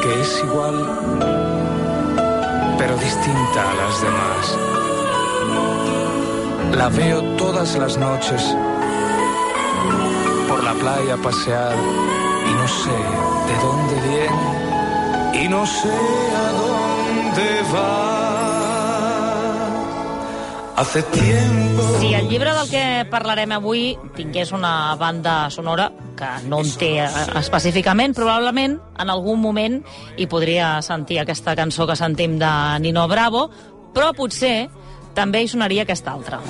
que es igual, pero distinta a las demás. La veo todas las noches por la playa pasear y no sé de dónde viene y no sé a dónde va. Hace tiempo... Si el llibre del que parlarem avui tingués una banda sonora, que no en té específicament, probablement en algun moment hi podria sentir aquesta cançó que sentim de Nino Bravo, però potser també hi sonaria aquesta altra.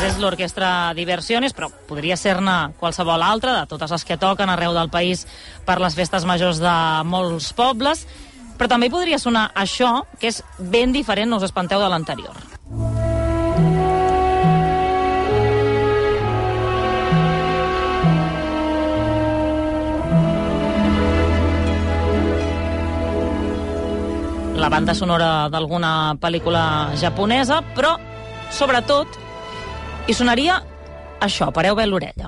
És l'Orquestra Diversiones, però podria ser-ne qualsevol altra, de totes les que toquen arreu del país per les festes majors de molts pobles, però també podria sonar això, que és ben diferent, no us espanteu, de l'anterior. La banda sonora d'alguna pel·lícula japonesa, però, sobretot, i sonaria això, pareu bé l'orella.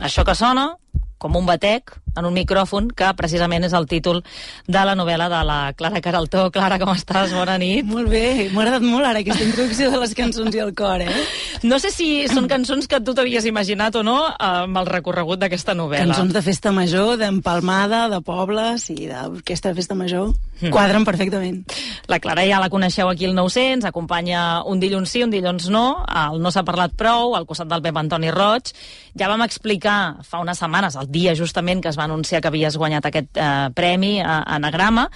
Això que sona com un batec en un micròfon, que precisament és el títol de la novel·la de la Clara Queraltó. Clara, com estàs? Bona nit. Molt bé, m'ha agradat molt ara aquesta introducció de les cançons i el cor, No sé si són cançons que tu t'havies imaginat o no amb el recorregut d'aquesta novel·la. Cançons de festa major, d'empalmada, de pobles i d'orquestra de festa major. Quadren perfectament. La Clara ja la coneixeu aquí al 900, acompanya un dilluns sí, un dilluns no, el No s'ha parlat prou, al costat del Pep Antoni Roig. Ja vam explicar fa unes setmanes, el dia justament que es va anunciar que havies guanyat aquest premi a Anagrama,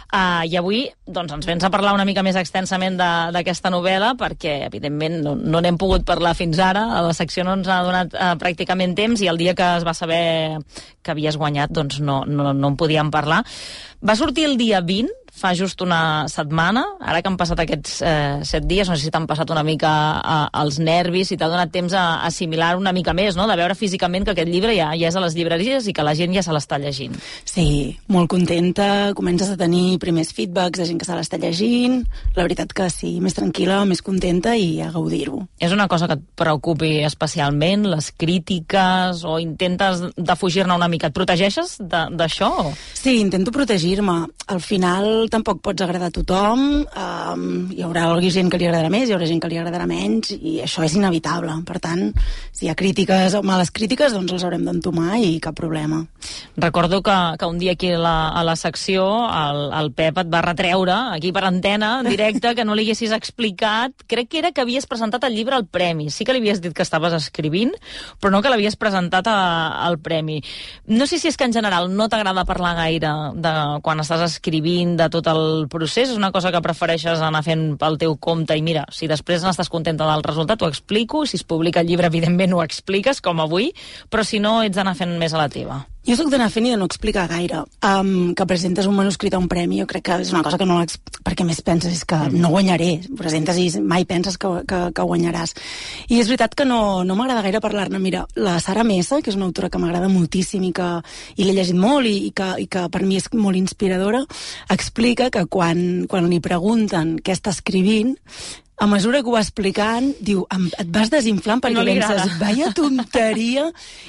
i avui doncs, ens vens a parlar una mica més extensament d'aquesta novel·la, perquè evidentment no n'hem pogut parlar fins ara, a la secció no ens ha donat pràcticament temps, i el dia que es va saber que havies guanyat doncs no en podíem parlar. Va sortir el dia 20, fa just una setmana, ara que han passat aquests 7 dies, no sé si t'han passat una mica els nervis, si t'ha donat temps a assimilar una mica més, no? De veure físicament que aquest llibre ja és a les llibreries i que la gent ja se l'està llegint. Sí, molt contenta, comences a tenir primers feedbacks de gent que se l'està llegint, la veritat que sí, més tranquil·la, més contenta i a gaudir-ho. És una cosa que et preocupi especialment, les crítiques, o intentes defugir-ne una mica? Et protegeixes d'això? Sí, intento protegir-me. Al final tampoc pots agradar a tothom, hi haurà gent que li agradarà més, hi haurà gent que li agradarà menys, i això és inevitable. Per tant, si hi ha crítiques o males crítiques, doncs les haurem d'entomar i cap problema. Recordo que un dia aquí a la secció el Pep et va retreure, aquí per antena, en directe, que no li haguessis explicat, crec que era que havies presentat el llibre al premi. Sí que li havies dit que estaves escrivint, però no que l'havies presentat al premi. No sé si és que en general no t'agrada parlar gaire de quan estàs escrivint, de tot el procés, és una cosa que prefereixes anar fent pel teu compte i mira, si després n'estàs contenta del resultat ho explico, si es publica el llibre evidentment ho expliques, com avui, però si no ets d'anar fent més a la teva. Jo soc d'anar fent i de no explicar gaire. Que presentes un manuscrit a un premi, jo crec que és una cosa que no perquè més penses és que no guanyaré, presentes i mai penses que guanyaràs. I és veritat que no m'agrada gaire parlar-ne. Mira, la Sara Mesa, que és una autora que m'agrada moltíssim i l'he llegit molt i que per mi és molt inspiradora, explica que quan li pregunten què està escrivint, a mesura que ho va explicant, diu, et vas desinflant perquè penses, vaya tonteria,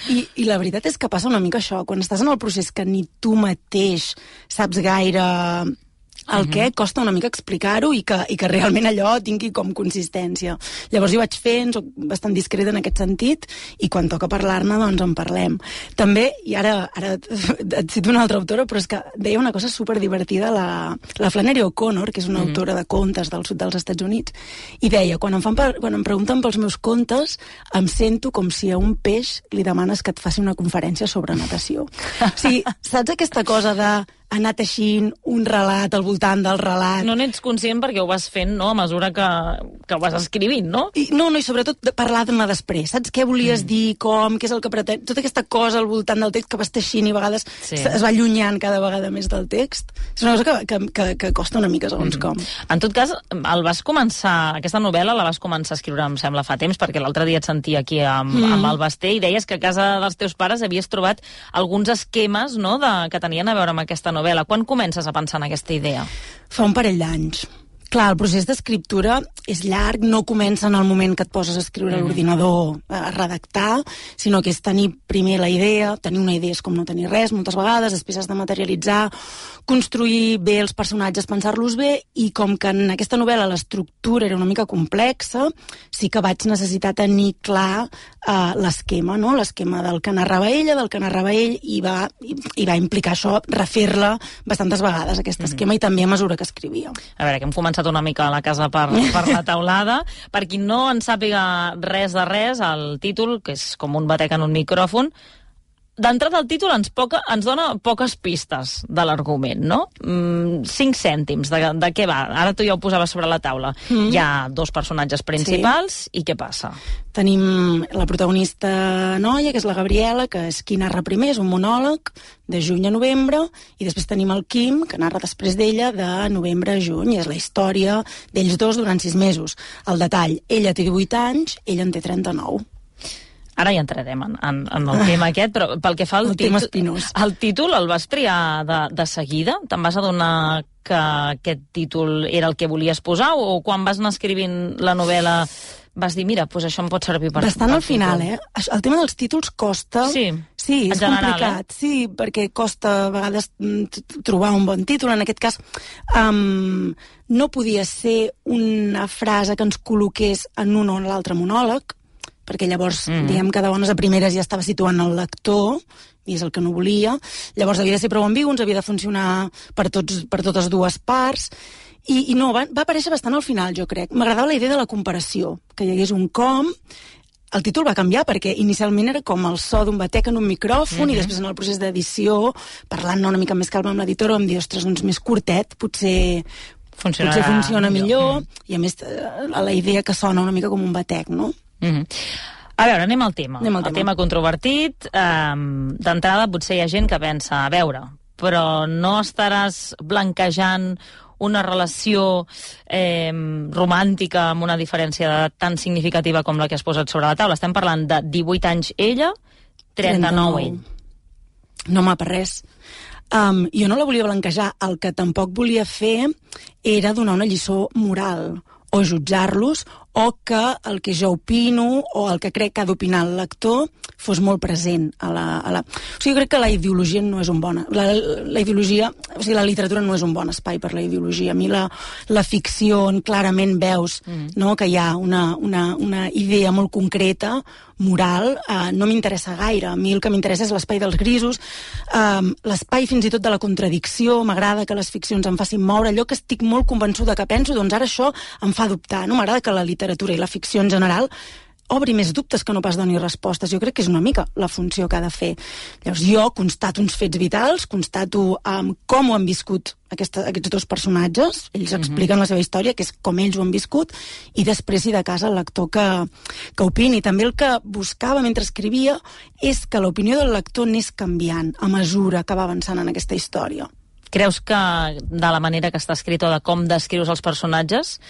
i la veritat és que passa una mica això, quan estàs en el procés que ni tu mateix saps gaire el què, costa una mica explicar-ho i que realment allò tingui com consistència. Llavors jo vaig fent, soc bastant discreta en aquest sentit, i quan toca parlar-ne, doncs en parlem. També, i ara et cito una altra autora, però és que deia una cosa superdivertida, la Flannery O'Connor, que és una autora de contes del sud dels Estats Units, i deia, quan em pregunten pels meus contes, em sento com si a un peix li demanes que et faci una conferència sobre natació. O sigui, saps aquesta cosa de anar teixint un relat al voltant del relat. No n'ets conscient perquè ho vas fent, no?, a mesura que ho vas escrivint, no? I sobretot de parlar-ne després. Saps què volies dir, com, què és el que pretens... Tota aquesta cosa al voltant del text que vas teixint i a vegades es va allunyant cada vegada més del text. És una cosa que costa una mica, segons com. En tot cas, aquesta novel·la la vas començar a escriure, em sembla, fa temps, perquè l'altre dia et sentia aquí amb el Basté i deies que a casa dels teus pares havies trobat alguns esquemes, no?, que tenien a veure amb aquesta novel·la. novel·la. Quan comences a pensar en aquesta idea? Fa un parell d'anys. Clar, el procés d'escriptura és llarg, no comença en el moment que et poses a escriure a l'ordinador, a redactar, sinó que és tenir primer la idea, tenir una idea és com no tenir res moltes vegades, després has de materialitzar, construir bé els personatges, pensar-los bé, i com que en aquesta novel·la l'estructura era una mica complexa, sí que vaig necessitar tenir clar l'esquema, no? L'esquema del que narrava ella, del que narrava ell, i va implicar això, refer-la bastantes vegades, aquest esquema, i també a mesura que escrivia. A veure, que hem començat una mica a la casa per la taulada. Per qui no en sàpiga res de res, el títol, que és com un batec en un micròfon, d'entrada el títol ens dona poques pistes de l'argument, no? 5 cèntims de què va. Ara tu ja ho posaves sobre la taula. Hi ha 2 personatges principals, i què passa? Tenim la protagonista noia, que és la Gabriela, que és qui narra primer, és un monòleg de juny a novembre, i després tenim el Quim, que narra després d'ella de novembre a juny, i és la història d'ells dos durant 6 mesos. El detall, ella té 18 anys, ell en té 39. Ara ja entrarem en el tema aquest, però pel que fa al el títol el vas triar de seguida? Te'n vas adonar que aquest títol era el que volies posar, o quan vas anar escrivint la novel·la vas dir, mira, doncs això em pot servir per... Bastant al final, El tema dels títols costa... Sí, és complicat. Sí, perquè costa a vegades trobar un bon títol. En aquest cas, no podia ser una frase que ens col·loqués en un o en l'altre monòleg, perquè llavors, diguem que de bones a primeres ja estava situant el lector, i és el que no volia. Llavors havia de ser prou ambigu, ens havia de funcionar per totes dues parts, i no, va aparèixer bastant al final, jo crec. M'agradava la idea de la comparació, que hi hagués un com. El títol va canviar perquè inicialment era com el so d'un batec en un micròfon, i després en el procés d'edició, parlant una mica més calma amb l'editora, vam dir, ostres, doncs més curtet, potser funciona millor, i a més la idea que sona una mica com un batec, no? A veure, anem al tema. El tema controvertit. D'entrada, potser hi ha gent que pensa, a veure, però no estaràs blanquejant una relació romàntica amb una diferència tan significativa com la que has posat sobre la taula. Estem parlant de 18 anys ella, 39 ell. No m'ha per res. Jo no la volia blanquejar. El que tampoc volia fer era donar una lliçó moral o jutjar-los, o que el que jo opino o el que crec que ha d'opinar el lector fos molt present a la... O sigui, jo crec que la ideologia no és un bon... La ideologia... O sigui, la literatura no és un bon espai per la ideologia. A mi la ficció, on clarament veus que hi ha una idea molt concreta, moral, no m'interessa gaire. A mi el que m'interessa és l'espai dels grisos, l'espai fins i tot de la contradicció. M'agrada que les ficcions em facin moure. Allò que estic molt convençuda que penso, doncs ara això em fa dubtar. No? M'agrada que la literatura i la ficció en general obri més dubtes que no pas doni respostes. Jo crec que és una mica la funció que ha de fer. Llavors jo constato uns fets vitals, constato com ho han viscut aquests dos personatges, ells expliquen la seva història, que és com ells ho han viscut, i després, si de cas, el lector que opini. També el que buscava mentre escrivia és que l'opinió del lector anés canviant a mesura que va avançant en aquesta història. Creus que de la manera que està escrit o de com descrius els personatges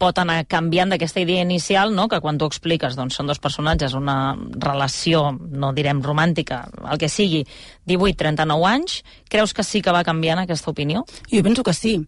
pot anar canviant d'aquesta idea inicial, no? Que quan tu expliques, doncs, són dos personatges, una relació, no direm romàntica, el que sigui, 18-39 anys, creus que sí que va canviant aquesta opinió? Jo penso que sí.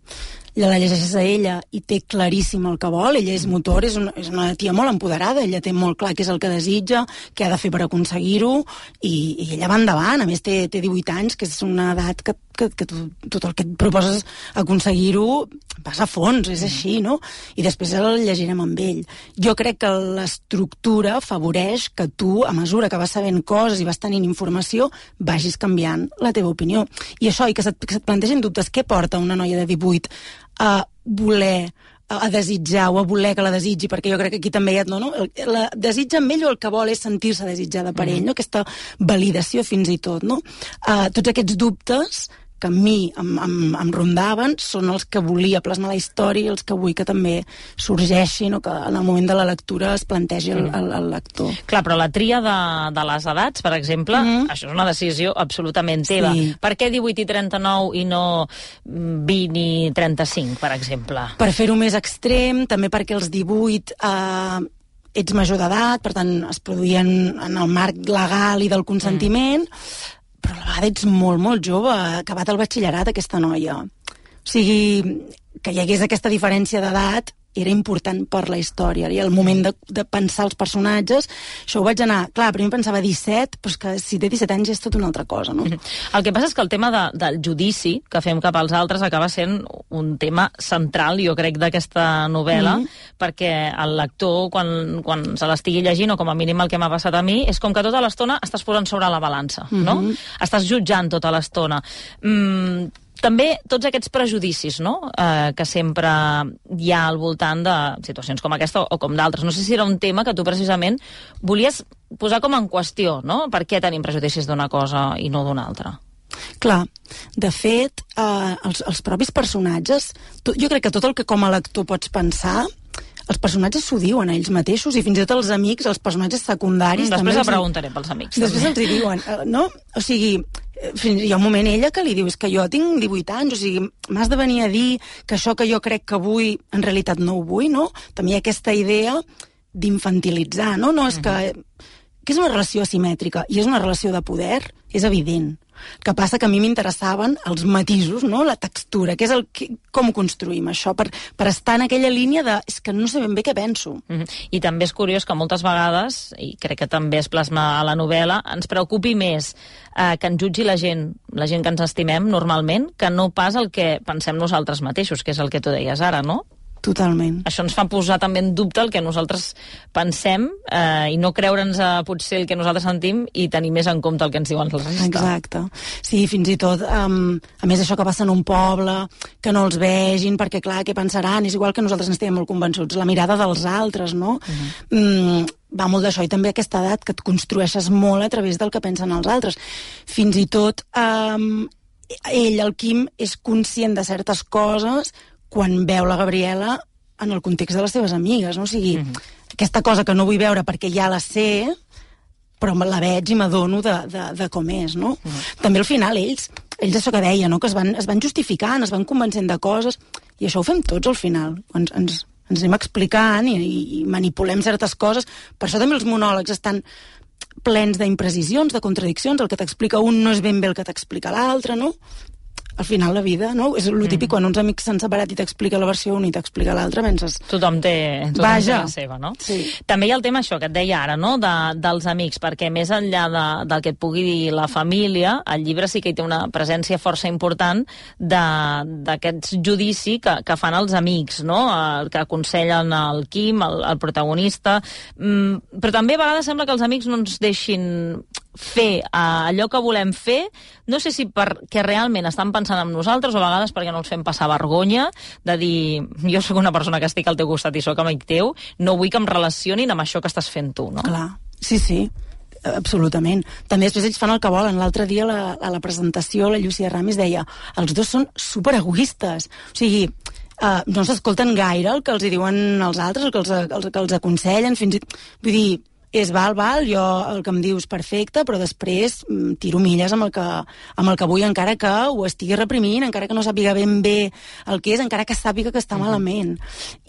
La llegeixes a ella i té claríssim el que vol, ella és motor, és una tia molt empoderada, ella té molt clar què és el que desitja, què ha de fer per aconseguir-ho, i ella va endavant. A més té 18 anys, que és una edat que tot el que et proposes aconseguir-ho vas a fons, és així, no? I després el llegirem amb ell. Jo crec que l'estructura afavoreix que tu, a mesura que vas sabent coses i vas tenint informació, vagis canviant la teva opinió. I això, i que se't plantegin dubtes, què porta una noia de 18 a voler, a desitjar o a voler que la desitgi, perquè jo crec que aquí també hi ha... No? La desitja amb ell o el que vol és sentir-se desitjada per ell, no? Aquesta validació fins i tot, no? Tots aquests dubtes que a mi em rondaven són els que volia plasmar la història i els que vull que també sorgeixin o que en el moment de la lectura es plantegi el lector. Clar, però la tria de les edats, per exemple, això és una decisió absolutament teva. Sí. Per què 18 i 39 i no 20 i 35, per exemple? Per fer-ho més extrem, també perquè els 18... ets major d'edat, per tant es produïen en el marc legal i del consentiment, però a la vegada ets molt, molt jove, ha acabat el batxillerat aquesta noia. O sigui, que hi hagués aquesta diferència d'edat era important per la història, i el moment de pensar els personatges, això ho vaig anar... Clar, primer pensava 17, però és que si té 17 anys és tot una altra cosa, no? El que passa és que el tema del judici que fem cap als altres acaba sent un tema central, jo crec, d'aquesta novel·la, perquè el lector, quan se l'estigui llegint, o com a mínim el que m'ha passat a mi, és com que tota l'estona estàs posant sobre la balança, no? Estàs jutjant tota l'estona. També tots aquests prejudicis, no?, que sempre hi ha al voltant de situacions com aquesta o com d'altres. No sé si era un tema que tu precisament volies posar com en qüestió, no? Per què tenim prejudicis d'una cosa i no d'una altra? Clar, de fet, els propis personatges, jo crec que tot el que com a lector pots pensar, els personatges s'ho diuen a ells mateixos, i fins i tot els amics, els personatges secundaris... Després la preguntaré pels amics. Després els hi diuen, no? O sigui, hi ha un moment ella que li diu, és que jo tinc 18 anys, o sigui, m'has de venir a dir que això que jo crec que vull, en realitat no ho vull, no? També hi ha aquesta idea d'infantilitzar, no? No, és que és una relació asimètrica, i és una relació de poder, és evident. El que passa que a mi m'interessaven els matisos, no? La textura, que és com ho construïm, això, per estar en aquella línia de... És que no sé ben bé què penso. I també és curiós que moltes vegades, i crec que també es plasma a la novel·la, ens preocupi més que ens jutgi la gent que ens estimem normalment, que no pas el que pensem nosaltres mateixos, que és el que tu deies ara, no? Totalment. Això ens fa posar també en dubte el que nosaltres pensem i no creure'ns potser el que nosaltres sentim i tenir més en compte el que ens diuen els altres. Exacte. Sí, fins i tot, a més això que passa en un poble, que no els vegin, perquè clar, què pensaran? És igual que nosaltres n'estiguem molt convençuts. La mirada dels altres, no? Va molt d'això, i també aquesta edat que et construeixes molt a través del que pensen els altres. Fins i tot ell, el Quim, és conscient de certes coses quan veu la Gabriela en el context de les seves amigues, no? O sigui, aquesta cosa que no vull veure perquè ja la sé, però la veig i m'adono de com és, no? També al final ells això que deia, no? Que es van justificant, es van convencent de coses, i això ho fem tots al final. Ens anem explicant i manipulem certes coses. Per això també els monòlegs estan plens d'imprecisions, de contradiccions. El que t'explica un no és ben bé el que t'explica l'altre, no? Al final la vida, no? És el típic quan uns amics s'han separat i t'explica la versió una i t'explica l'altra, penses... Tothom té la seva, no? Sí. També hi ha el tema això que et deia ara, no?, dels amics, perquè més enllà del que et pugui dir la família, el llibre sí que hi té una presència força important d'aquests judici que fan els amics, no?, que aconsellen el Quim, el protagonista, però també a vegades sembla que els amics no ens deixin fer allò que volem fer, no sé si perquè realment estan pensant en nosaltres o a vegades perquè no els fem passar vergonya de dir, jo sóc una persona que estic al teu costat i sóc amic teu, no vull que em relacionin amb això que estàs fent tu, no? Clar, sí, absolutament. També després ells fan el que volen. L'altre dia a la presentació la Llucia Ramis deia, els dos són superegoistes, o sigui, no s'escolten gaire el que els hi diuen els altres, el que els aconsellen, fins i tot, vull dir, és val, jo el que em dius perfecte, però després tiro milles amb el que vull, encara que ho estigui reprimint, encara que no sàpiga ben bé el que és, encara que sàpiga que està malament.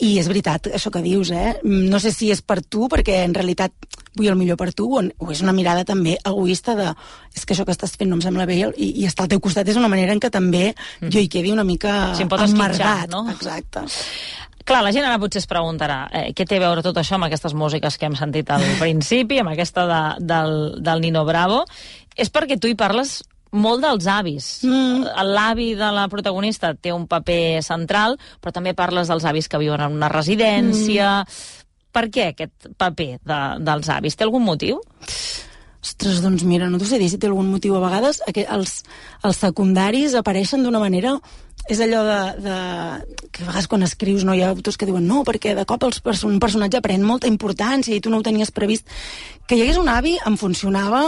I és veritat, això que dius, no sé si és per tu, perquè en realitat vull el millor per tu, o és una mirada també egoista de és que això que estàs fent no em sembla bé i estar al teu costat és una manera en què també jo hi quedi una mica emmargat. No? Exacte. Clar, la gent ara potser es preguntarà què té a veure tot això amb aquestes músiques que hem sentit al principi, amb aquesta del Nino Bravo. És perquè tu hi parles molt dels avis. L'avi de la protagonista té un paper central, però també parles dels avis que viuen en una residència. Per què aquest paper dels avis? Té algun motiu? Ostres, doncs mira, no t'ho sé dir si té algun motiu. A vegades els secundaris apareixen d'una manera... És allò que a vegades quan escrius hi ha autors que diuen no, perquè de cop un personatge pren molta importància i tu no ho tenies previst. Que hi hagués un avi em funcionava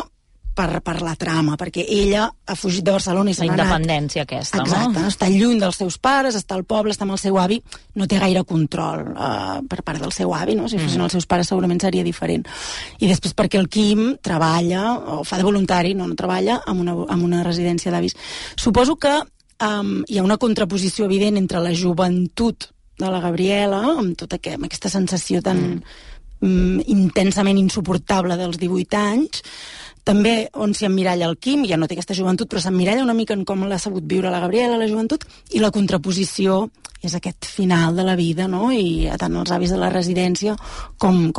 per la trama, perquè ella ha fugit de Barcelona i se n'ha anat. La independència aquesta, no? Exacte, està lluny dels seus pares, està al poble, està amb el seu avi, no té gaire control per part del seu avi, no? Si fossin els seus pares segurament seria diferent. I després perquè el Quim treballa, o fa de voluntari, no treballa, en una residència d'avis. Suposo que hi ha una contraposició evident entre la joventut de la Gabriela, amb tota aquesta sensació tan intensament insuportable dels 18 anys, també on s'hi emmiralla el Quim, ja no té aquesta joventut, però s'emmiralla una mica en com l'ha sabut viure la Gabriela, la joventut, i la contraposició és aquest final de la vida, no? I tant els avis de la residència com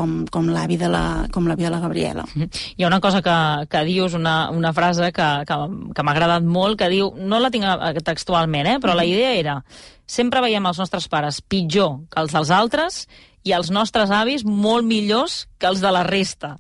l'avi de la Gabriela. Hi ha una cosa que dius, una frase que m'ha agradat molt, que diu, no la tinc textualment, però la idea era: sempre veiem els nostres pares pitjor que els dels altres i els nostres avis molt millors que els de la resta.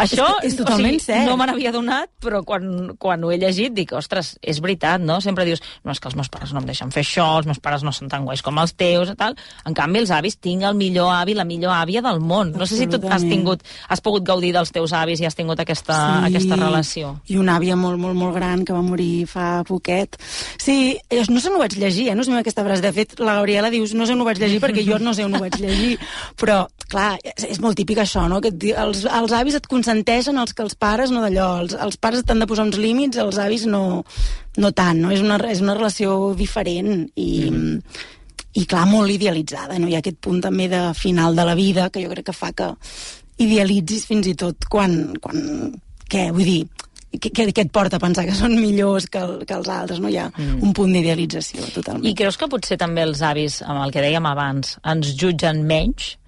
Això, és totalment cert. No me n'havia donat, però quan ho he llegit dic, ostres, és veritat, no? Sempre dius, no, és que els meus pares no em deixen fer això, els meus pares no són tan guais com els teus, i tal. En canvi, els avis, tinc el millor avi, la millor àvia del món. No sé si tu has pogut gaudir dels teus avis i has tingut aquesta relació. I una àvia molt, molt, molt gran que va morir fa poquet. Sí, no sé on ho vaig llegir, no sé aquesta frase. De fet, la Gabriela dius, no sé on ho vaig llegir perquè jo no sé on ho vaig llegir. Però, clar, és molt típic això, no? Que els avis et consenteixen els que els pares no d'allò. Els pares t'han de posar uns límits, els avis no tant, no? És una relació diferent i clar, molt idealitzada, no? Hi ha aquest punt també de final de la vida que jo crec que fa que idealitzis fins i tot quan què? Vull dir, què et porta a pensar que són millors que els altres, no? Hi ha un punt d'idealització, totalment. I creus que potser també els avis, amb el que dèiem abans, ens jutgen menys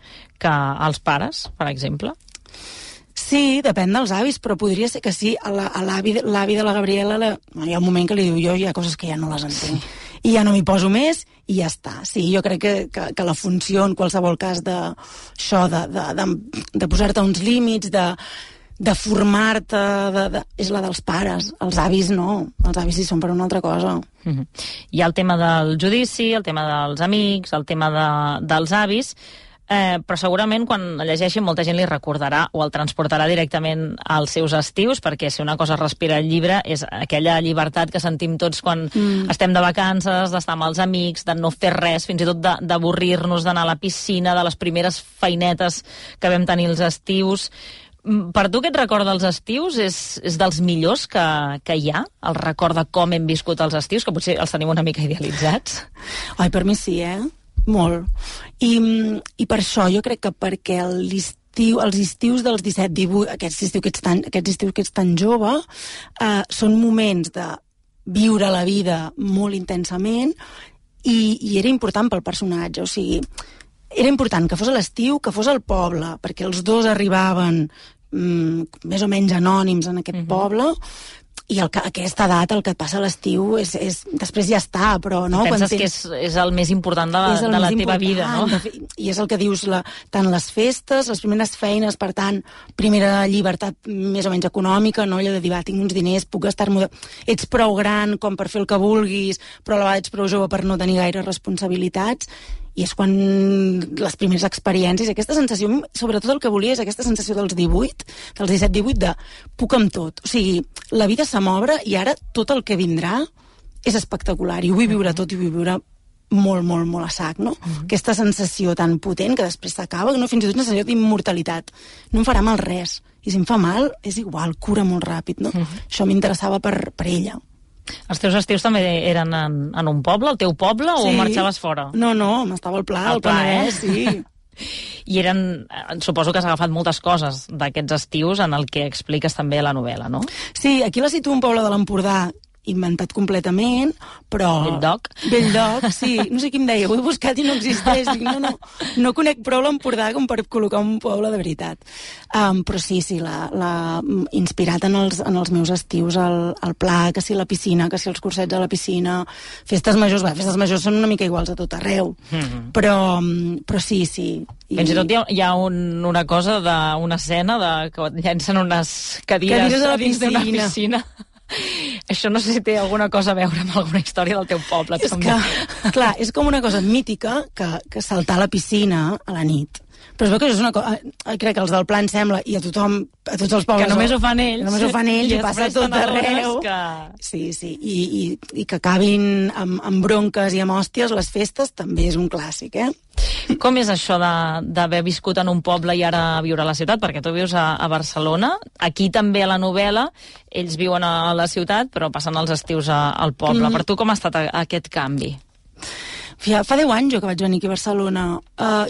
que els pares, per exemple? Sí, depèn dels avis, però podria ser que sí. A l'avi de la Gabriela hi ha un moment que li diu, jo hi ha coses que ja no les entenc. I ja no m'hi poso més i ja està. Sí, jo crec que la funció en qualsevol cas d'això, de posar-te uns límits, de formar-te, és la dels pares. Els avis no. Els avis hi són per una altra cosa. Hi ha el tema del judici, el tema dels amics, el tema dels avis, però segurament quan llegeixi molta gent li recordarà o el transportarà directament als seus estius, perquè si una cosa respira el llibre és aquella llibertat que sentim tots quan estem de vacances, d'estar amb els amics, de no fer res, fins i tot d'avorrir-nos, d'anar a la piscina, de les primeres feinetes que vam tenir els estius. Per tu aquest record dels estius és dels millors que hi ha? El record de com hem viscut els estius, que potser els tenim una mica idealitzats? Ai, per mi sí, molt. I per això jo crec que perquè els estius dels 17-18, aquests estius que ets tan jove, són moments de viure la vida molt intensament i era important pel personatge, o sigui, era important que fos a l'estiu, que fos al poble, perquè els dos arribaven més o menys anònims en aquest poble, i aquesta edat, el que et passa a l'estiu després ja està, però no? Penses que és el més important de la teva vida, no? I és el que dius, tant les festes, les primeres feines, per tant, primera llibertat més o menys econòmica, no? Allò de dir, tinc uns diners, puc gastar-m'ho... Ets prou gran com per fer el que vulguis, però a la vegada ets prou jove per no tenir gaire responsabilitats, i és quan les primeres experiències, aquesta sensació, sobretot el que volia és aquesta sensació dels 17-18, de puc amb tot. O sigui, la vida se m'obre i ara tot el que vindrà és espectacular i ho vull viure tot i ho vull viure molt, molt, molt a sac, no? Aquesta sensació tan potent que després s'acaba, no? Fins i tot una sensació d'immortalitat. No em farà mal res. I si em fa mal, és igual, cura molt ràpid, no? Això m'interessava per ella. Els teus estius també eren en un poble, el teu poble, o marxaves fora? No, m'estava al Pla, al Penedès, sí. I suposo que has agafat moltes coses d'aquests estius en el que expliques també a la novel·la, no? Sí, aquí la situo un poble de l'Empordà inventat completament, però... Bell-lloc, sí. No sé qui em deia, ho he buscat i no existeix. Dic, no conec prou l'Empordà com per col·locar un poble de veritat. Però sí, inspirat en els meus estius, al Pla, que si la piscina, que si els cursets a la piscina, festes majors són una mica iguals a tot arreu. Però sí. Fins i tot hi ha una cosa d'una escena que llancen unes cadires a dins d'una piscina. Això no sé si té alguna cosa a veure amb alguna història del teu poble. Clar, és com una cosa mítica que saltar a la piscina a la nit. Però es veu que això és una cosa... Crec que els del Pla em sembla, i a tots els pobles... Que només ho fan ells. I passa tot arreu. Sí, i que acabin amb bronques i amb hòsties, les festes també és un clàssic, Com és això d'haver viscut en un poble i ara viure a la ciutat? Perquè tu vius a Barcelona, aquí també a la novel·la, ells viuen a la ciutat, però passen els estius al poble. Per tu com ha estat aquest canvi? Fa 10 anys jo que vaig venir aquí a Barcelona.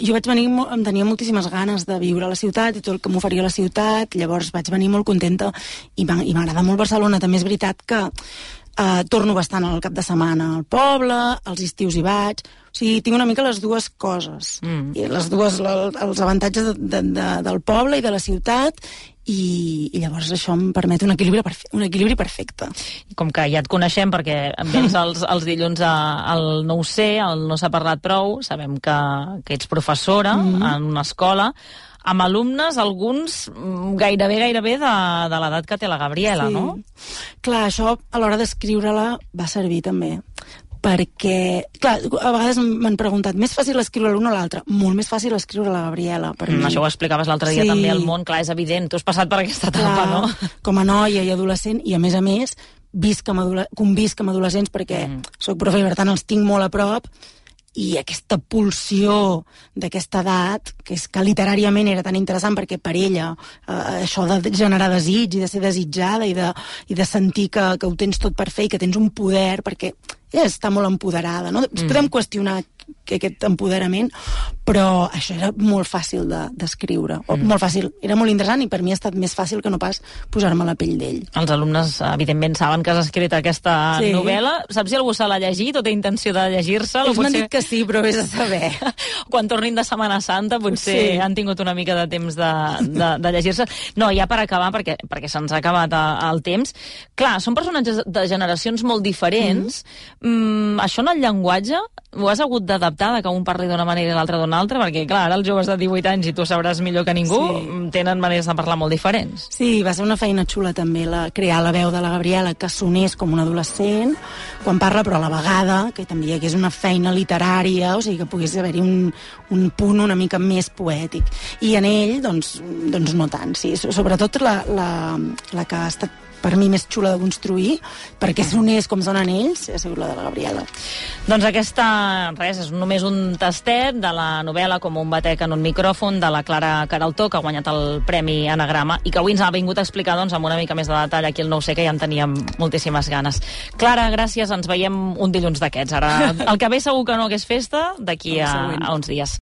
Jo vaig venir, em tenia moltíssimes ganes de viure a la ciutat i tot el que m'oferia la ciutat, llavors vaig venir molt contenta i m'agrada molt Barcelona. També és veritat que torno bastant al cap de setmana al poble, als estius hi vaig, o sigui, tinc una mica les dues coses, i les dues, els avantatges del poble i de la ciutat, i llavors això em permet un equilibri perfecte. Com que ja et coneixem perquè vens els dilluns al No ho sé, al No s'ha parlat prou, sabem que ets professora en una escola, amb alumnes, alguns gairebé de l'edat que té la Gabriela, sí. No? Clar, això a l'hora d'escriure-la va servir també, perquè, clar, a vegades m'han preguntat, més fàcil escriure l'un o l'altre? Molt més fàcil escriure la Gabriela, per mi. Això ho explicaves l'altre dia també al Món, clar, és evident, tu has passat per aquesta etapa, no? Com a noia i adolescent, i a més, convisc amb adolescents perquè soc profe i per tant els tinc molt a prop, i aquesta pulsió d'aquesta edat, que és que literàriament era tan interessant perquè per ella això de generar desig i de ser desitjada i de sentir que ho tens tot per fer i que tens un poder, perquè ella està molt empoderada, no? Podem qüestionar aquest empoderament, però això era molt fàcil d'escriure, molt fàcil, era molt interessant i per mi ha estat més fàcil que no pas posar-me a la pell d'ell. Els alumnes, evidentment, saben que has escrit aquesta novel·la. Saps si algú se l'ha llegit o té intenció de llegir-se? Ells m'han dit que sí, però vés a saber. Quan tornin de Setmana Santa potser han tingut una mica de temps de llegir-se. No, ja per acabar, perquè se'ns ha acabat el temps. Clar, són personatges de generacions molt diferents. Això en el llenguatge ho has hagut d'adaptar, que un parli d'una manera i l'altre d'una altra, perquè clar, ara els joves de 18 anys, i tu sabràs millor que ningú, tenen maneres de parlar molt diferents. Sí, va ser una feina xula també crear la veu de la Gabriela, que sonés com un adolescent quan parla, però a la vegada que també hi hagués una feina literària, o sigui que pogués haver-hi un punt una mica més poètic. I en ell, doncs no tant, sí. Sobretot la que ha estat per mi més xula de construir, perquè sonés com sonen ells, ha sigut la de la Gabriela. Doncs aquesta, és només un tastet de la novel·la Com un batec en un micròfon, de la Clara Queraltó, que ha guanyat el Premi Anagrama, i que avui ens ha vingut a explicar amb una mica més de detall aquí el No ho sé, que ja en teníem moltíssimes ganes. Clara, gràcies, ens veiem un dilluns d'aquests. Ara, el que ve segur que no, que és festa, d'aquí a uns dies.